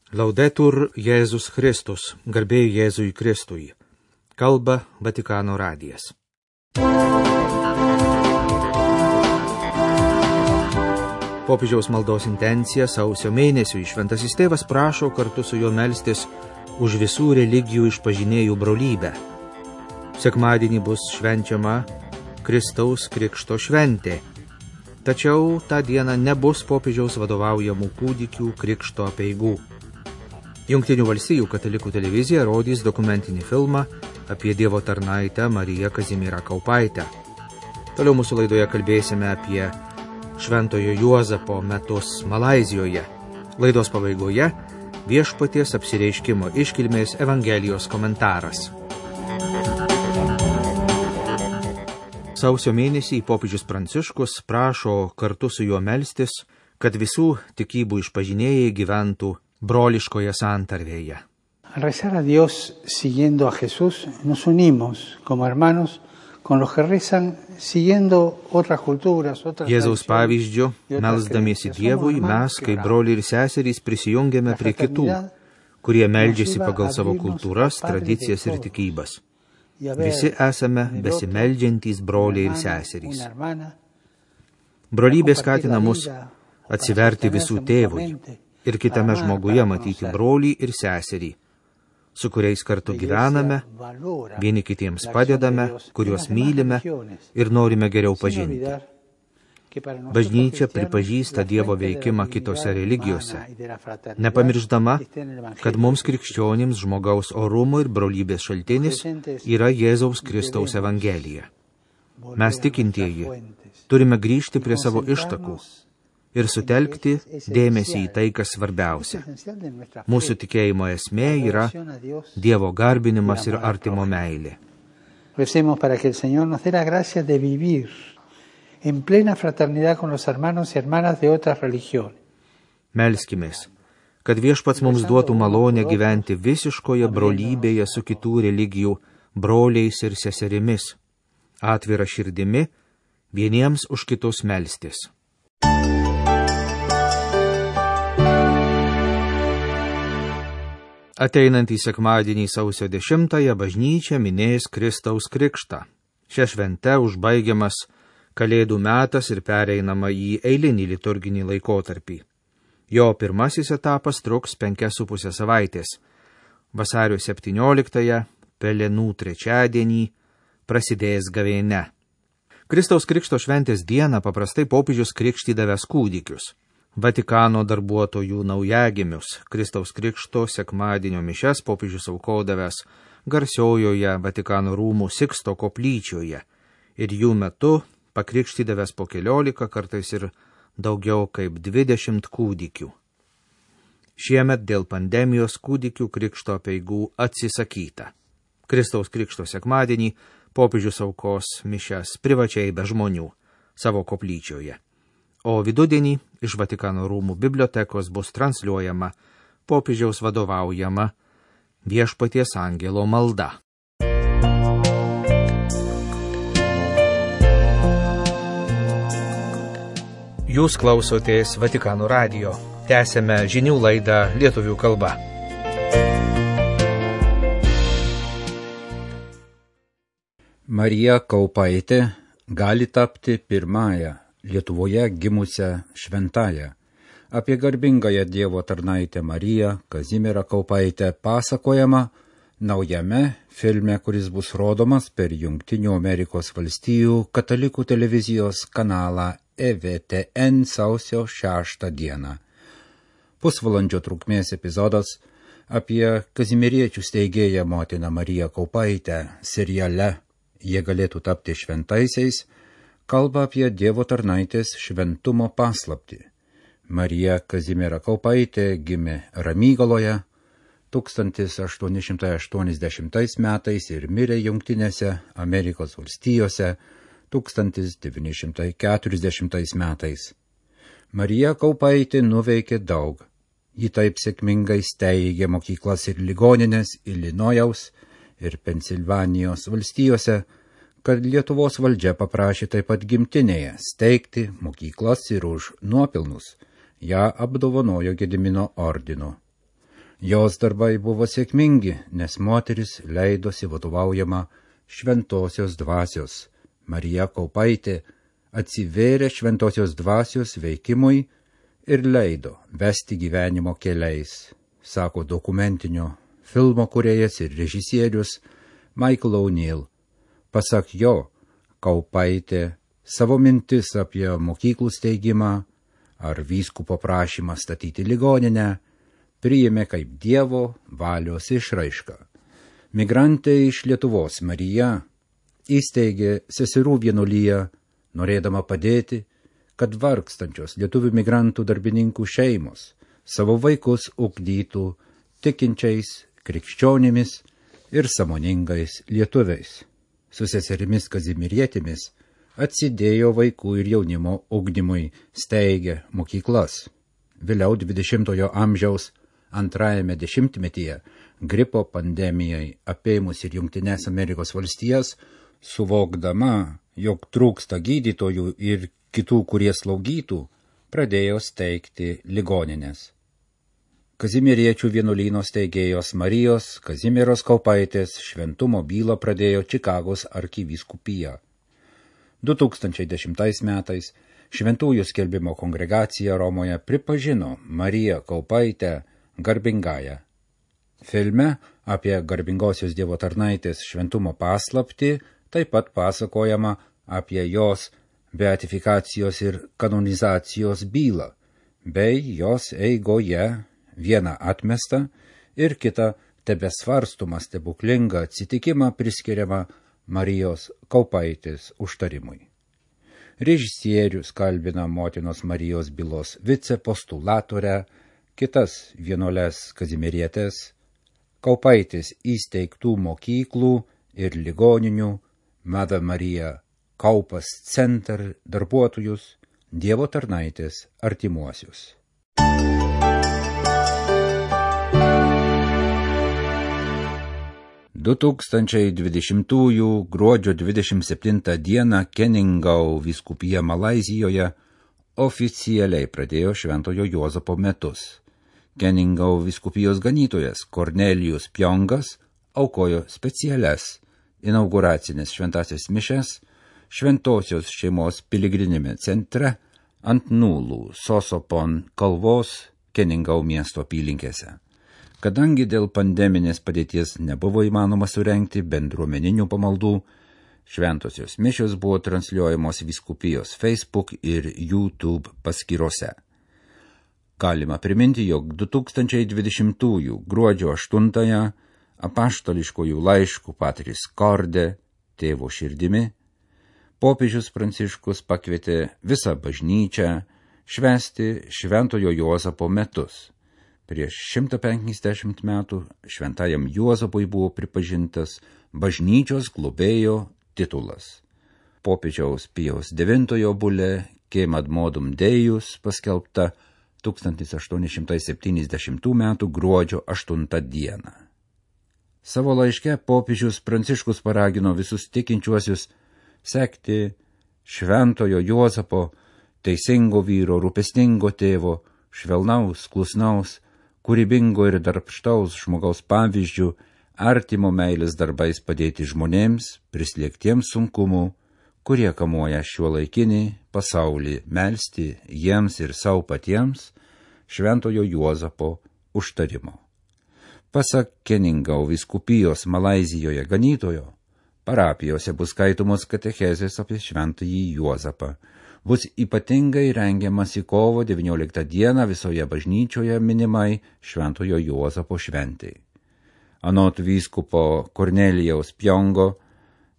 Laudetur Jėzus Kristus, garbė Jėzui Kristui. Kalba Vatikano radijas. Popiežiaus maldos intencija sausio mėnesiui Šventasis Tėvas prašo kartu su juo melstis už visų religijų išpažinėjų brolybę. Sekmadienį bus švenčiama Kristaus Krikšto šventė, tačiau tą dieną nebus popiežiaus vadovaujamų kūdikių krikšto apeigų. Jungtinių valstijų katalikų televizija rodys dokumentinį filmą apie Dievo tarnaitę Mariją Kazimierą Kaupaitę. Toliau mūsų laidoje kalbėsime apie Šventojo Juozapo metus Malaizijoje. Laidos pabaigoje Viešpaties apsireiškimo iškilmės Evangelijos komentaras. Sausio mėnesį popiežius Pranciškus prašo kartu su juo melstis, kad visų tikybų išpažinėjai gyventų broliškoje santarvėje. Al rezar a Dios siguiendo a Jesús, nos unimos como hermanos con los que rezan siguiendo otras culturas, otras Jėzaus pavyzdžiu, melsdamiesi Dievui, mes, kaip broliai ir seserys, prisijungiame prie kitų, kurie meldžiasi pagal savo kultūras, tradicijas ir tikybas. Visi esame besimeldžiantys broliai ir seserys. Brolybė skatina mus atsiverti visų tėvui ir kitame žmoguje matyti brolį ir seserį, su kuriais kartu gyvename, vieni kitiems padedame, kuriuos mylime ir norime geriau pažinti. Bažnyčia pripažįsta Dievo veikimą kitose religijose, nepamirždama, kad mums krikščionims žmogaus orumo ir brolybės šaltinis yra Jėzaus Kristaus Evangelija. Mes tikintieji turime grįžti prie savo ištakų ir sutelkti dėmesį į tai, kas svarbiausia. Mūsų tikėjimo esmė yra Dievo garbinimas ir artimo meilė. Recemos para que el Señor nos dé la gracia de vivir en plena fraternidad con los hermanos y hermanas de otras religiones. Melskimės, kad Viešpats mums duotų malonę gyventi visiškoje brolybėje su kitų religijų broliais ir seserimis, atvira širdimi, vieniems už kitus melstis. Ateinantį sekmadienį sausio 10-ąją bažnyčia minės Kristaus Krikštą. Šia švente užbaigiamas Kalėdų metas ir pereinama į eilinį liturginį laikotarpį. Jo pirmasis etapas truks 5,5 savaitės. Vasario 17-ąją, Pelenų trečiadienį, prasidės gavėnia. Kristaus Krikšto šventės dieną paprastai popiežius krikštydavęs kūdikius. Vatikano darbuotojų naujagimius, Kristaus Krikšto sekmadienio mišias popiežius aukodavęs garsiojoje Vatikano rūmų Siksto koplyčioje ir jų metu pakrikštydavęs po 14, kartais ir daugiau kaip 20 kūdikių. Šiemet dėl pandemijos kūdikių krikšto apeigų atsisakyta. Kristaus Krikšto sekmadienį popiežius aukos mišias privačiai be žmonių savo koplyčioje. O vidudienį iš Vatikano rūmų bibliotekos bus transliuojama popiežiaus vadovaujama Viešpaties angelo malda. Jūs klausotės Vatikano radijo. Tęsiame žinių laidą lietuvių kalba. Marija Kaupaitė gali tapti pirmąją Lietuvoje gimusią šventąją. Apie garbingąją Dievo tarnaitę Mariją Kazimierą Kaupaitę pasakojama naujame filme, kuris bus rodomas per Jungtinių Amerikos valstijų katalikų televizijos kanalą EWTN sausio 6 dieną. Pusvalandžio trukmės epizodas apie kazimieriečių steigėją motiną Mariją Kaupaitę seriale Jie galėtų tapti šventaisiais, kalba apie Dievo tarnaitės šventumo paslaptį. Marija Kazimiera Kaupaitė gimė Ramygaloje 1880 metais ir mirė Jungtinėse Amerikos valstijose 1940 metais. Marija Kaupaitė nuveikė daug. Ji taip sėkmingai steigė mokyklas ir ligoninės Ilinojaus ir Pensilvanijos valstijose, kad Lietuvos valdžia paprašė taip pat gimtinėje steigti mokyklas ir už nuopelnus ją apdovanojo Gedimino ordinu. Jos darbai buvo sėkmingi, nes moteris leidosi vadovaujama šventosios dvasios. Marija Kaupaitė atsivėrė šventosios dvasios veikimui ir leido vesti gyvenimo keliais, sako dokumentinio filmo kūrėjas ir režisierius Michael O'Neill. Pasak jo, Kaupaitė savo mintis apie mokyklų steigimą ar vyskupo prašymą statyti ligoninę priėmė kaip Dievo valios išraišką. Migrantė iš Lietuvos Marija įsteigė seserų vienuoliją, norėdama padėti, kad vargstančios lietuvių migrantų darbininkų šeimos savo vaikus ugdytų tikinčiais krikščionimis ir sąmoningais lietuviais. Su seserimis Kazimierietėmis atsidėjo vaikų ir jaunimo ugdymui, steigė mokyklas. Vėliau 20-ojo amžiaus antrajame dešimtmetyje gripo pandemijai apėmus ir Jungtines Amerikos valstijas, suvokdama, jog trūksta gydytojų ir kitų, kurie slaugytų, pradėjo steigti ligoninės. Kazimieriečių vienuolyno steigėjos Marijos Kazimieros Kaupaitės šventumo bylą pradėjo Čikagos arkivyskupija. 2010 metais Šventųjų skelbimo kongregacija Romoje pripažino Mariją Kaupaitę garbingąją. Filme apie garbingosios Dievo tarnaitės šventumo paslaptį taip pat pasakojama apie jos beatifikacijos ir kanonizacijos bylą, bei jos eigoje vieną atmestą ir kitą tebesvarstomą stebuklingą atsitikimą priskiriamą Marijos Kaupaitės užtarimui. Režisierius kalbina motinos Marijos bylos vicepostulatorę, kitas vienuoles Kazimierietes, Kaupaitės įsteigtų mokyklų ir ligoninių Mother Maria Kaupas Center darbuotojus, Dievo tarnaitės artimuosius. – 2020 gruodžio 27 dieną Keningau vyskupija Malaizijoje oficialiai pradėjo Šventojo Juozapo metus. Keningau vyskupijos ganytojas Kornelijus Pjongas aukojo specialias inauguracinės šventasias mišias Šventosios šeimos piligrinime centre ant Nulų Sosopon kalvos Keningau miesto apylinkėse. Kadangi dėl pandeminės padėties nebuvo įmanoma surengti bendruomeninių pamaldų, šventosios mišios buvo transliuojamos vyskupijos Facebook ir YouTube paskyrose. Galima priminti, jog 2020 gruodžio 8 apaštališkojų laiškų Patris Corde, tėvo širdimi, popiežius Pranciškus pakvietė visą bažnyčią švęsti Šventojo Juozapo metus. Prieš 150 metų šventajam Juozapui buvo pripažintas bažnyčios globėjo titulas. Popiežiaus Pijaus IX bulė Quem ad modum Deus paskelbta 1870 metų gruodžio 8 dieną. Savo laiške popiežius Pranciškus paragino visus tikinčiuosius sekti Šventojo Juozapo, teisingo vyro, rūpestingo tėvo, švelnaus, klusnaus, kūrybingo ir darbštaus žmogaus pavyzdžių, artimo meilės darbais padėti žmonėms, prislėgtiems sunkumų, kurie kamuoja šiuolaikinį pasaulį, melsti jiems ir savo patiems Šventojo Juozapo užtarimo. Pasak Keningau vyskupijos Malaizijoje ganytojo, parapijose bus skaitomos katechezės apie Šventąjį Juozapą. Bus ypatingai rengiamasi kovo 19 dieną visoje bažnyčioje minimai Šventojo Juozapo šventei. Anot vyskupo Kornelijaus Pjongo,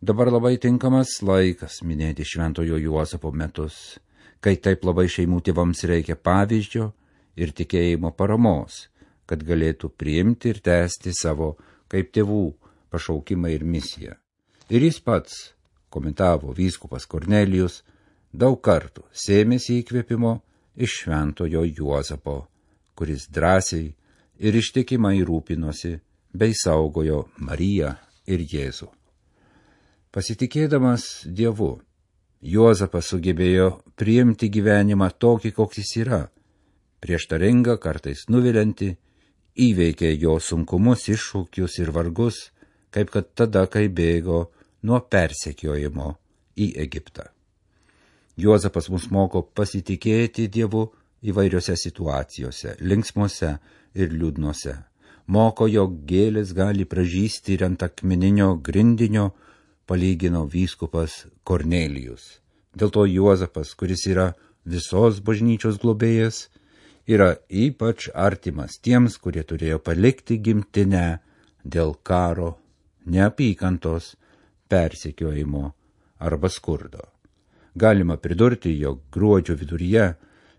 dabar labai tinkamas laikas minėti Šventojo Juozapo metus, kai taip labai šeimų tėvams reikia pavyzdžio ir tikėjimo paramos, kad galėtų priimti ir tęsti savo kaip tėvų pašaukimą ir misiją. Ir jis pats, komentavo vyskupas Kornelijus, daug kartų sėmėsi įkvėpimo iš Šventojo Juozapo, kuris drąsiai ir ištikimai rūpinosi bei saugojo Mariją ir Jėzų. Pasitikėdamas Dievu, Juozapas sugebėjo priimti gyvenimą tokį, koks jis yra, prieštaringą, kartais nuviliantį, įveikė jo sunkumus, iššūkius ir vargus, kaip kad tada, kai bėgo nuo persekiojimo į Egiptą. Juozapas mus moko pasitikėti Dievu įvairiose situacijose, linksmose ir liūdnose. Moko, jog gėlės gali pražysti ir ant akmeninio grindinio, palygino vyskupas Kornelijus. Dėl to Juozapas, kuris yra visos bažnyčios globėjas, yra ypač artimas tiems, kurie turėjo palikti gimtinę dėl karo, neapykantos, persekiojimo arba skurdo. Galima pridurti, jog gruodžio viduryje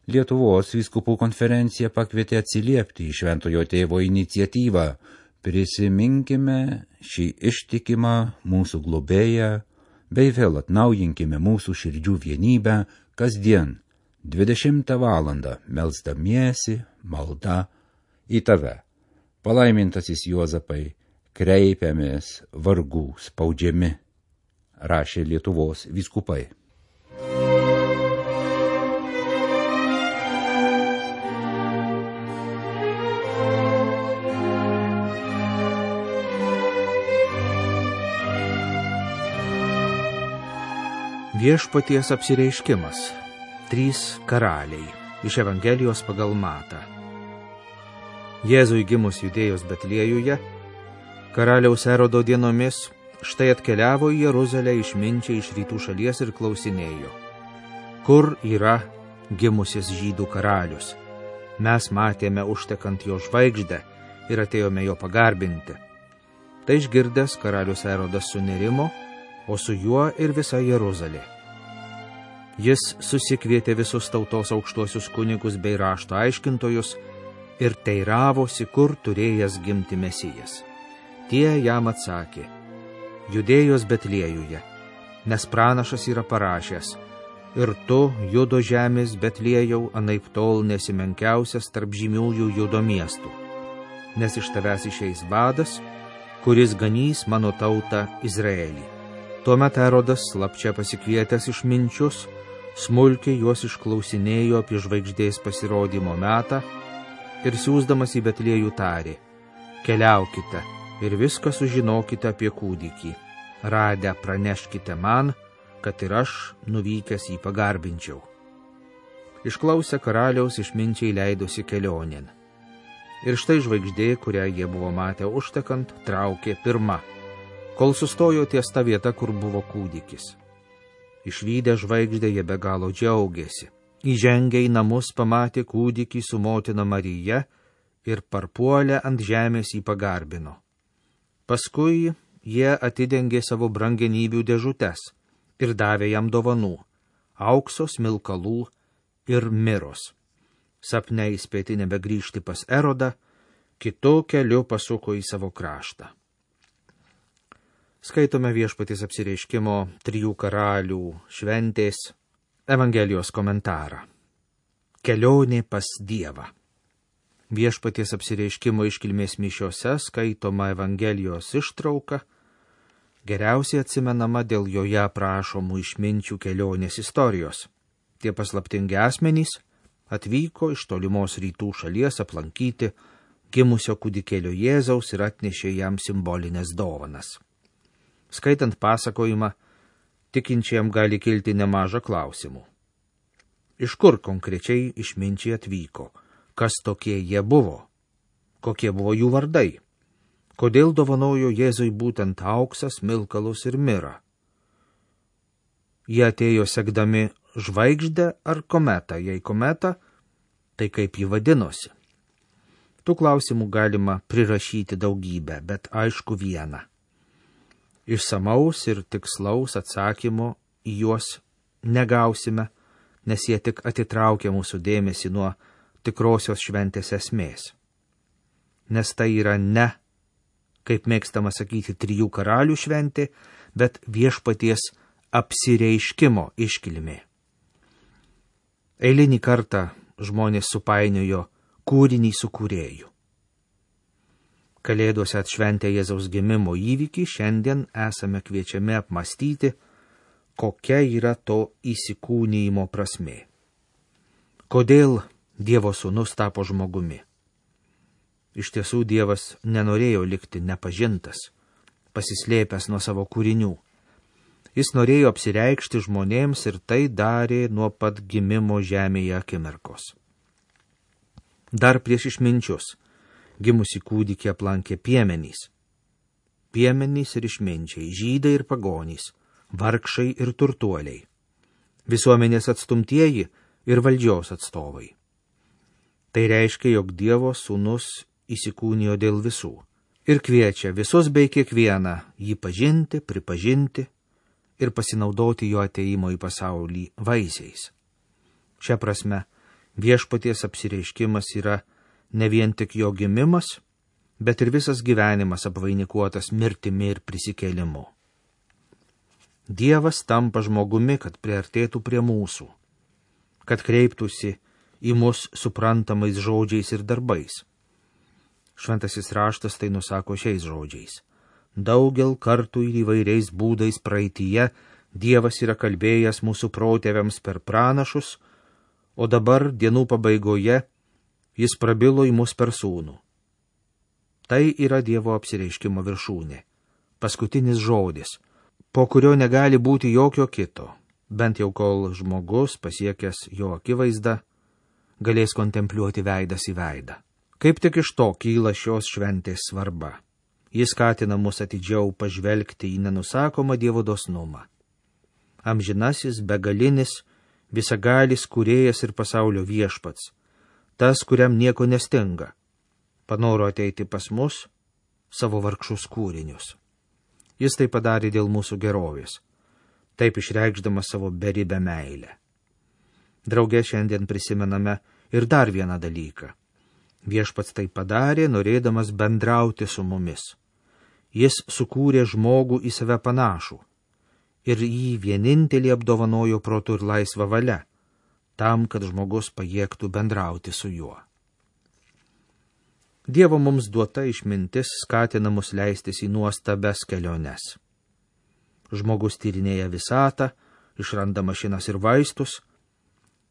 Lietuvos vyskupų konferencija pakvietė atsiliepti į Šventojo Tėvo iniciatyvą. Prisiminkime šį ištikimą mūsų globėją, bei vėl atnaujinkime mūsų širdžių vienybę kasdien 20 valandą melsdamiesi malda į tave. Palaimintasis Juozapai, kreipiamės vargų spaudžiami, rašė Lietuvos vyskupai. Viešpaties apsireiškimas. 3 karaliai. Iš Evangelijos pagal Matą. Jėzui gimus Judėjos Betliejuje, karaliaus Erodo dienomis, štai atkeliavo į Jeruzalę išminčiai iš rytų šalies ir klausinėjo: kur yra gimusis žydų karalius? Mes matėme užtekant jo žvaigždę ir atėjome jo pagarbinti. Tai išgirdęs karalius Erodas sunerimo, o su juo ir visa Jeruzalė. Jis susikvietė visus tautos aukštuosius kunigus bei rašto aiškintojus ir teiravosi, kur turėjęs gimti Mesijas. Tie jam atsakė: Judėjos Betliejuje, nes pranašas yra parašęs: ir tu, Judo žemės Betliejau, anaiptol nesi menkiausias tarp žymiųjų Judo miestų, nes iš tavęs išeis vadas, kuris ganys mano tautą Izraelį. Tuomet Erodas, slapčia pasikvietęs išminčius, smulkiai juos išklausinėjo apie žvaigždės pasirodymo metą ir siųsdamas į Betliejų tarė: keliaukite ir viską sužinokite apie kūdikį. Radę praneškite man, kad ir aš nuvykęs jį pagarbinčiau. Išklausę karaliaus, išminčiai leidosi kelionėn. Ir štai žvaigždė, kurią jie buvo matę užtekant, traukė pirma, kol sustojo ties ta vieta, kur buvo kūdikis. Išvydę žvaigždę jie be galo džiaugėsi. Įžengę į namus pamatė kūdikį su motina Marija ir parpuolę ant žemės jį pagarbino. Paskui jie atidengė savo brangenybių dėžutes ir davė jam dovanų – aukso, smilkalų ir miros. Sapne įspėti nebegrįžti pas Erodą, kitu keliu pasuko į savo kraštą. Skaitome Viešpaties apsireiškimo 3 karalių šventės Evangelijos komentarą. Kelionė pas Dievą. Viešpaties apsireiškimo iškilmės mišiose skaitoma Evangelijos ištrauka, geriausiai atsimenama dėl joje aprašomų išminčių kelionės istorijos. Tie paslaptingi asmenys atvyko iš tolimos rytų šalies aplankyti gimusio kūdikėlio Jėzaus ir atnešė jam simbolinės dovanas. Skaitant pasakojimą, tikinčiam gali kilti nemaža klausimų. Iš kur konkrečiai išminčiai atvyko? Kas tokie jie buvo? Kokie buvo jų vardai? Kodėl dovanojo Jėzui būtent auksą, smilkalus ir mirą? Jie atėjo sekdami žvaigždę ar kometą? Jei kometą, tai kaip ji vadinosi? Tų klausimų galima prirašyti daugybę, bet aišku vieną. Išsamaus ir tikslaus atsakymo į juos negausime, nes jie tik atitraukia mūsų dėmesį nuo tikrosios šventės esmės. Nes tai yra ne, kaip mėgstama sakyti, 3 karalių šventė, bet Viešpaties apsireiškimo iškilmė. Eilinį kartą žmonės supainiojo kūrinį su kūrėju. Kalėdose atšventę Jėzaus gimimo įvykį, šiandien esame kviečiami apmąstyti, kokia yra to įsikūnijimo prasmė. Kodėl Dievo sūnus tapo žmogumi? Iš tiesų Dievas nenorėjo likti nepažintas, pasislėpęs nuo savo kūrinių. Jis norėjo apsireikšti žmonėms ir tai darė nuo pat gimimo žemėje akimirkos. Dar prieš išminčius gimusi kūdikį aplankė piemenys. Piemenys ir išminčiai, žydai ir pagonys, vargšai ir turtuoliai, visuomenės atstumtieji ir valdžios atstovai. Tai reiškia, jog Dievo sūnus įsikūnijo dėl visų ir kviečia visus bei kiekvieną jį pažinti, pripažinti ir pasinaudoti jo ateimo į pasaulį vaisiais. Šia prasme, viešpaties apsireiškimas yra ne vien tik jo gimimas, bet ir visas gyvenimas apvainikuotas mirtimi ir prisikėlimu. Dievas tampa žmogumi, kad priartėtų prie mūsų, kad kreiptųsi į mus suprantamais žodžiais ir darbais. Šventasis raštas tai nusako šiais žodžiais. Daugel kartų ir įvairiais būdais praeityje Dievas yra kalbėjęs mūsų protėviams per pranašus, o dabar dienų pabaigoje jis prabilo į mus per sūnų. Tai yra Dievo apsireiškimo viršūnė, paskutinis žodis, po kurio negali būti jokio kito, bent jau kol žmogus, pasiekęs jo akivaizdą, galės kontempliuoti veidas į veidą. Kaip tik iš to kyla šios šventės svarba. Jis skatina mus atidžiau pažvelgti į nenusakomą Dievo dosnumą. Amžinasis, begalinis, visagalis kūrėjas ir pasaulio viešpats, tas, kuriam nieko nestinga, panoro ateiti pas mus, savo vargšus kūrinius. Jis tai padarė dėl mūsų gerovės, taip išreikšdamas savo beribę meilę. Drauge šiandien prisimename ir dar vieną dalyką. Viešpats tai padarė, norėdamas bendrauti su mumis. Jis sukūrė žmogų į save panašų ir jį vienintelį apdovanojo protu ir laisvą valią, tam, kad žmogus pajėgtų bendrauti su juo. Dievo mums duota išmintis skatina mus leistis į nuostabias keliones. Žmogus tyrinėja visatą, išranda mašinas ir vaistus,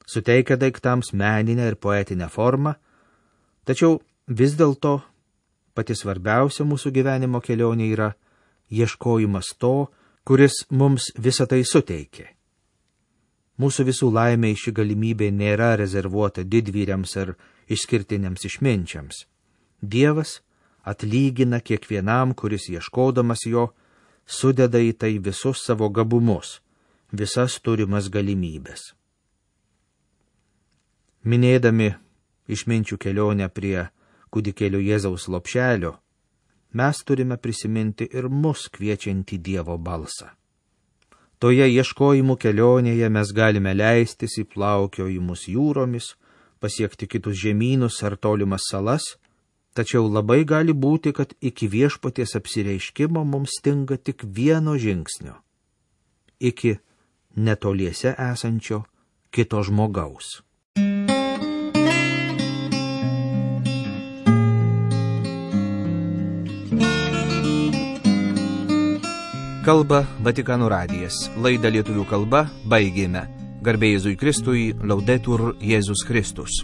suteikia daiktams meninę ir poetinę formą, tačiau vis dėlto pati svarbiausia mūsų gyvenimo kelionė yra ieškojimas to, kuris mums visą tai suteikė. Mūsų visų laimei ši galimybė nėra rezervuota didvyriams ar išskirtiniams išminčiams. Dievas atlygina kiekvienam, kuris ieškodamas jo, sudeda į tai visus savo gabumus, visas turimas galimybės. Minėdami išminčių kelionę prie kūdikėlio Jėzaus lopšelio, mes turime prisiminti ir mus kviečiantį Dievo balsą. Toje ieškojimų kelionėje mes galime leistis į plaukiojimus jūromis, pasiekti kitus žemynus ar tolimas salas, tačiau labai gali būti, kad iki viešpaties apsireiškimo mums stinga tik vieno žingsnio – iki netoliese esančio kito žmogaus. Kalba Vatikano radijas. Laidą lietuvių kalba baigėme. Garbė Jėzui Kristui, Laudetur Jėzus Kristus.